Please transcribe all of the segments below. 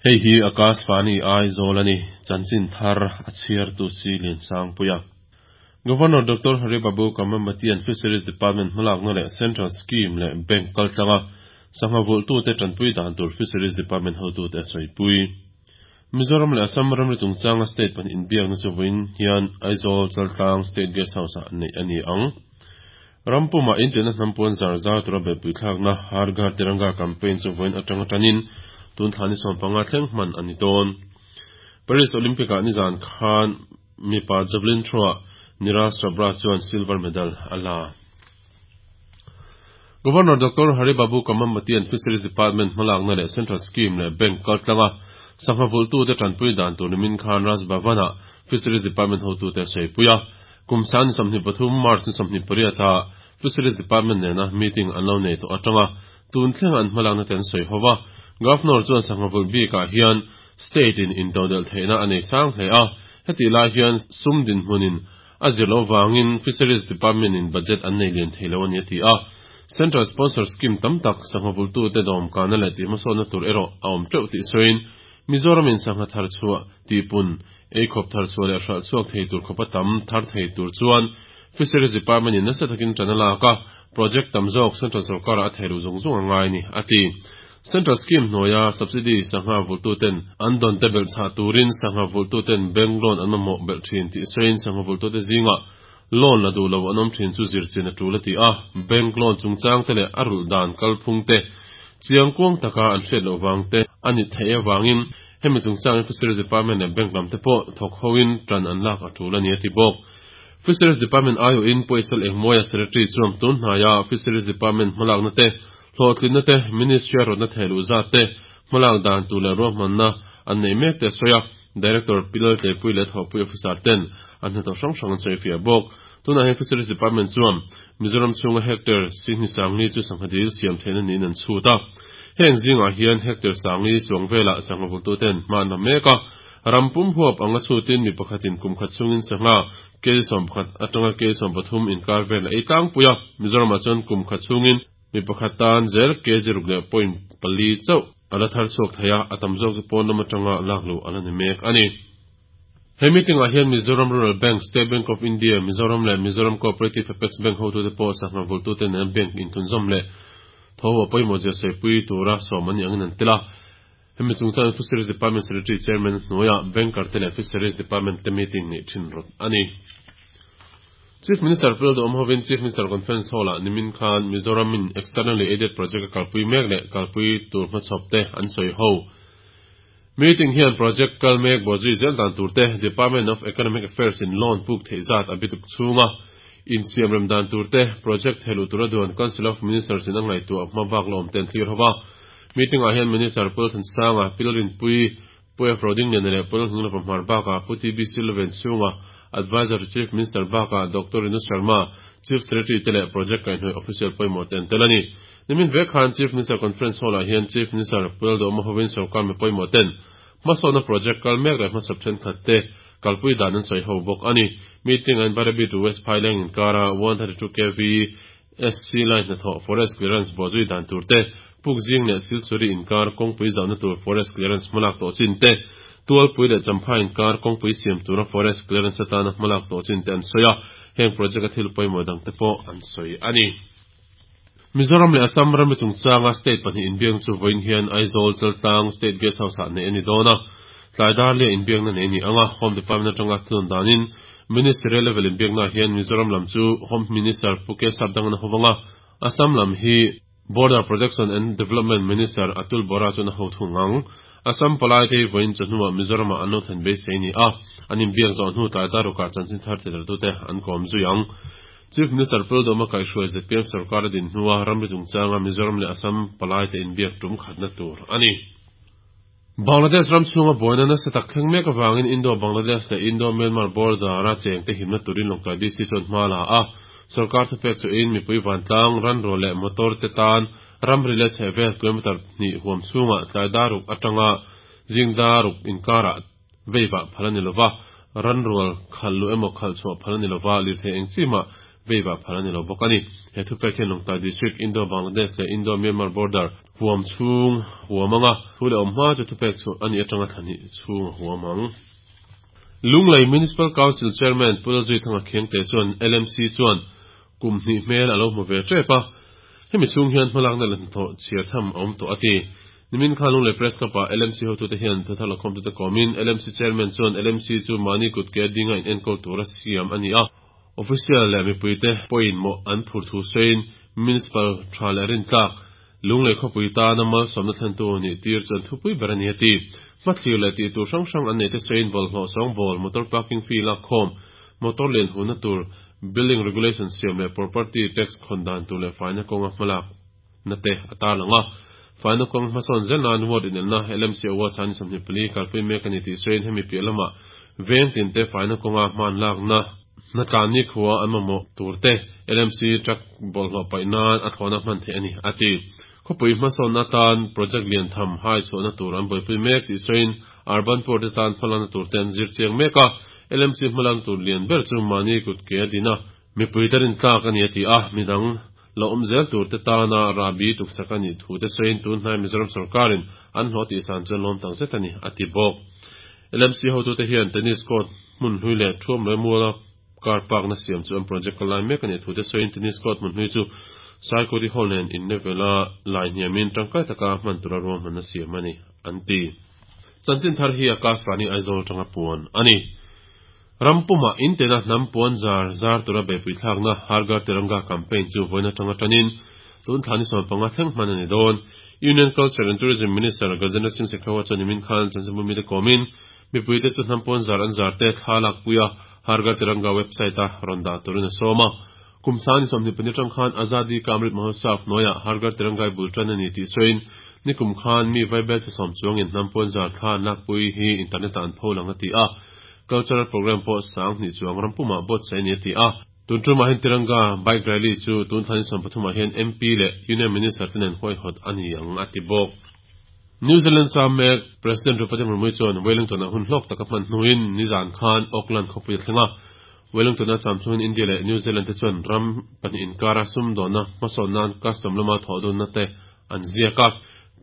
Hei hi Akashvani Aizawl a ni, chanchin thar a chhiartu si Liansangpuia. Governor Doctor Hari Babu Kambhampatian Fisheries Department hmalakna leh Central Scheme leh Bank kaltlanga sangha vulhtute tanpui dan tur Fisheries Department hotute a sawipui. Mizoram leh Assam ramri chungchanga state pahnih inbiakna chu vawiin hian Aizawl Chaltlang State Guest House-ah neih a ni ang. Ram pumah intiahna hnam puan zar zar tura beihpui thlakna Har Ghar Tiranga campaign chu vawiin atanga tanin tun thla ni 15 thleng hman a ni dawn. Paris Olympic-ah nizan khan mipa javelin throw-ah Neeraj Chopra chuan silver medal a la. Governor Doctor Hari Babu Kambhampatian Fisheries Department hmalakna leh Central Scheme leh Bank kaltlanga sangha vulhtute tanpui dan tur nimin khan Raj Bhavan-ah Fisheries Department hotute a sawipui a. Kum san ni 23 March ni 28 ah Fisheries Department nena meeting an lo nei tawh atanga tun thleng an hmalakna te an sawi ho va. Governor chuan sangha vulh bikah hian State in intodelh theihna a nei sang hle a, hetih lai hian sum dinhmunin a zir loh vangin Fisheries Department in budget an nei lian thei lo a ni a ti a. Central Sponsor Scheme tam tak sangha vulhtute dawmkana leh tihhmasawnna tur erawh a awm teuh tih sawiin Mizoram in sangha thar chhuah tihpun, eikhawp thar chhuah leh hralh chhuak thei tur khawpa tam thar thei tur chuan Fisheries Department in nasa takin tan a lak a, project tam zawk Central sorkarah a thei luh zung zung a ngai a ni, a ti. Central Scheme hnuaia subsidy sangha vulhtuten an dawn te belh chhah turin sangha vulhtuten bank loan an mamawh belh thin tih sawiin sangha vulhtute zingah loan la duh lo an awm thin chu zirchian a tul a ti a, bank loan chungchang te leh a rulh dan kalphung te chiang kuang taka an hriat loh vang te a ni theih avangin hemi chungchangin Fisheries Department leh bank lam te pawh thawk hoin tan an lak a tul a ni a ti bawk. Fisheries Department aiawhin Pawisal Engmawia Secretary chuan tun hnaia Fisheries Department hmalakna te Hlawhtlinna te, Ministry a rawtna theh luh zat te, hmalak dan tur leh ruahmanna an nei mek te a sawi a, Director Pi Laltleipui leh Thawhpui Officer ten an hnathawk hrang hrang an sawi fiah bawk. Tunah hian Fisheries Department chuan Mizoram chhunga hectare sihni sangli chu sangha dil siam theihna niin an chhut a. Heng zingah hian hectare sangli chuang velah sangha vultuten hma an la mek a. Ram pum huap anga chhutin mi pakhatin kum khat chhungin sangha kil 11 atanga kil 13 inkar vel a ei tlangpui a. Mizoramah chuan kum khat chhungin Mi pakhat tan zel kg ruk leh point pali chauh a la thar chhuak thei a, a tam zawk chu pawn lam atanga lak luh a la ni mek a ni. He meeting ah hian Mizoram Rural Bank, State Bank of India, Mizoram leh Mizoram Cooperative Apex Bank hotute pawh sangha vulhtute nena bank inthunzawm leh tho a pawimawh zia sawipui tura sawm an nih angin an tel a. Hemi chungchangin Fisheries Department Secretary Chairman hnuaiah Banker te leh Fisheries Department te meeting neih thin rawt a ni. Chief Minister Pu Lalduhawm hovin Chief Minister Conference Hall-ah nimin khan Mizoram in Externally Aided Project a kalpui mek leh kalpui tur hmachhawp te an sawi ho. Meeting hian project kal mek bawhzui zel dan tur te, Department of Economic Affairs in loan puk theih zat a bituk chhunga insiam rem dan tur te, project thehluh tura duan Council of Ministers in a ngaihtuah hma bak la awm te an thlir ho va. Meeting ah hian Minister Pu Lalthansanga, Pi Lalrinpuii, Pu F. Rodingliana leh Pu Lalhninglova Hmar bakah Pu TB Silvain chhunga Adviser to Chief Minister bakah Doctor Rinu Sharma, Chief Secretary te leh Project kaihhnawih official pawimawh te an tel a ni. Nimin vek khan Chief Minister Conference Hall ah hian Chief Minister Pu Lalduhawma hovin sorkar mi pawimawh ten hmasawnna project kal mek leh hmasawp thenkhat te kalpui dan an sawi ho bawk a ni. Meeting ah in Bairabi to West Phaileng inkara 132 kv SC line hnathawh forest clearance bawhzui dan tur te, Pukzing leh Silchuri inkar kawngpui zauhna tur forest clearance hmalak tawh chin te, Tualpui leh Champha inkar kawngpui siam tura forest clearance atana hmalak tawh chin te an sawi a, heng project a thil pawimawh dang te pawh an sawi a ni. Mizoram leh Assam ramri chungchanga state pahnih inbiakna chu vawiin hian Aizawl, Chaltlang, State Guest House-ah neih a ni dawn a, tlai dar lia inbiakna neih a ni ang a, Home Department atanga thun danin Ministerial level inbiaknaah hian Mizoram lam chu Home Minister Pu K Sapdangana hovang a, Assam lam hi Border Protection and Development Minister Atul Bora chuan a ho thung ang. Assam palai te hi vawiin chawhnuah Mizoramah an lo thlen beisei ni a, an inbiak zawh hnu tlai darukah chanchin thar tidartute an kawm zui ang. Chief Minister Pu Lalduhawma kaihhruai zpm sorkar a din hnua ramri chungchanga Mizoram leh Assam palai te inbiak tum khatna tur a ni. Bangladesh ram chhunga buaina nasa tak thleng mek avangin Indo-Bangladesh leh Indo-Myanmar border-a chengte himna turin Lawngtlai DC chuan hma la a. Sorkar thupek chuhin mipui vantlang, ranrual leh motor te tan ramri leh chhehvel kilometre hnih huam chhungah tlai daruk atanga zing daruk inkarah veivah phal a ni lova, ranrual khalh luh emaw khalh chhuah phal a ni lova, lirthei eng chi mah veivah phal a ni lo bawk a ni. He thupek hian Lawngtlai District, Indo-Bangladesh leh Indo-Myanmar border. huam chhung huam anga thu leh awm hma chu thupek chhuah a nih atanga thla hnih chhung a huam ang. Lunglei Municipal Council Chairman Pu Lalzuithanga Khengte chuan LMC chuan kum hnih hmel a lo hmu ve tep a, hemi chhung hian hmalakna leh hnathawh chhiar tham a awm tawh a ti. Nimin khan Lunglei Press Club ah LMC hotute hian thuthar lakhawmtute kawmin LMC Chairman chuan LMC chu mahni kut ke dinga in enkawl tura siam a ni a, Official leh mipuite pawhin mawh an phur thu sawiin Municipal tha leh rintlak Lunglei khawpui tana malsawmna thlentu nih tir chuan thupui ber a ni a ti. Hmathlir leh tih tur hrang hrang an neih te sawiin bawlhhlawh sawngbawl, motor parking fee lakkhawm, motor lian huhna tur, building regulation siam leh property tax khawn dan tur leh faina kawnga hmalak na te a tarlang a. Faina kawng hmasawn zel nan ward inelna LMC Awards a ni 24 kalpui mek a ni tih sawiin hemi piah lamah veng tinte faina kawnga hman lakna hnatlan nikhua an mamawh tur te LMC truck bawlhhlawh paih nan a thlawhna hman theih a ni, a ti. Khawpui hmasawnna atan project lian tham hai chhuahna tur an buaipui mek tih sawiin Urban Poor te tan hmalakna tur te an zir chiang mek a, LMC hmalakna tur lian ber chu mahni kut ke a din a, Mipui te rintlak a ni a ti a, midang lo awm zel tur te tana rahbi tuksak a nih thu te sawiin tun hnai Mizoram sorkarin an hlawh tihsan chuan lawm tak zet a ni, a ti bawk. LMC hotute hian tennis court hmun hlui leh thuam leh muala car park na siam chu an project kal lai mek a nih thu te sawiin tennis court hmun hlui chu Saikuri Hall nen in level a lai hniamin tangkai taka hman tura ruahmanna siam a ni, an ti. Chanchin thar hi Akashvani Aizawl atanga puan a ni. Ram pumah intena hnam puan zar zar tura beihpui thlakna Har Ghar Tiranga campaign chu vawiin atanga tanin tun thla ni 15 thleng hman a ni dawn. Union Culture and Tourism Minister Gajendra Singh Shekhawat chuan nimin khan chanchinbu mite kawmin mipuite chu hnam puan zar an zar te thla lakpui a Har Ghar Tiranga website a rawn dah turin a sawm a. Kum sang ni 24 atang khan Azadi Ka Amrit Mahotsav hnuaiah Har Ghar Tiranga i bul tan a ni tih sawiin nikum khan mi vaibelchhe sawm chuangin hnam puan zar thla an lakpui hi internet ah an pho lang a ti a. Cultural Programme pawh 2000 chuang ram pumah buatsaih a ni a ti a. Tun tumah hian Tiranga Bike Rally chu tun thla ni 13 ah hian MP leh Union Minister te nen huaihawt a ni ang a ti bawk. New Zealand cham mek President Draupadi Murmu chuan Wellington ah hun hlawk taka hman hnuin nizan khan Auckland khawpui a thleng a. Wellington a cham chungin India leh New Zealand te chuan ram pahnih inkara sumdawnna hmasawn nan custom lama thawh dunna te an ziak a.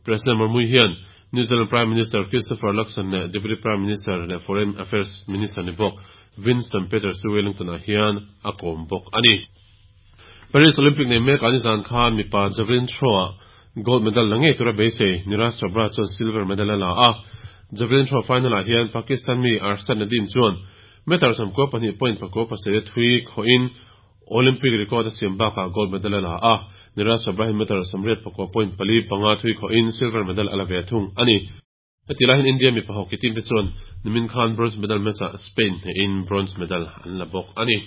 President Murmu hian New Zealand Prime Minister Christopher Luxon leh Deputy Prime Minister leh Foreign Affairs Minister ni bawk Winston Peters chu Wellington-ah hian a kawm bawk a ni. Paris Olympic nei mek ah nizan khan mipa javelin throw-ah gold medal la ngei tura beisei Neeraj Chopra chuan silver medal a la a. Javelin throw final-ah hian Pakistan mi Arshad Nadeem chuan meter 92.47 a thui khawhin Olympic record a siam bakah gold medal a la a, Neeraj Chopra hi meter 89.45 thui khawhin silver medal a la ve thung a ni. Heti lai hian India mipa hockey team te chuan nimin khan bronze medal match ah Spain hnehin bronze medal an la bawk a ni.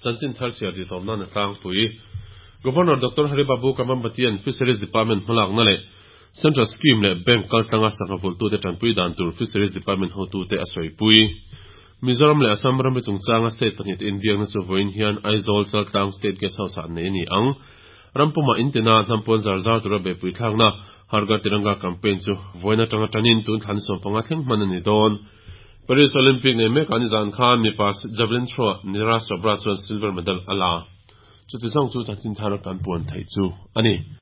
Chanchin thar chhiar tih tawp nan a tlangpui. Governor Doctor Hari Babu Kambhampatian Fisheries Department hmalakna leh Central Scheme leh Bank kaltlanga sangha vulhtute tanpui dan tur Fisheries Department hotute a sawipui. Mizoram leh Assam ramri chungchanga state pahnihte inbiakna chu vawiin hian Aizawl Chaltlang State Guest House ah an nei a ni ang. Ram pumah intina hnam pawn zar zar tura beihpui thlakna Har Ghar Tiranga campaign chu vawiin atanga tanin tun thla ni 15 thleng hman a ni dawn. Paris Olympic nei mekah nizan khan mipa javelin throw ah Neeraj Chopra chuan silver medal a la. Chuti zawng chu chanchin thar kan puan theih chu a ni.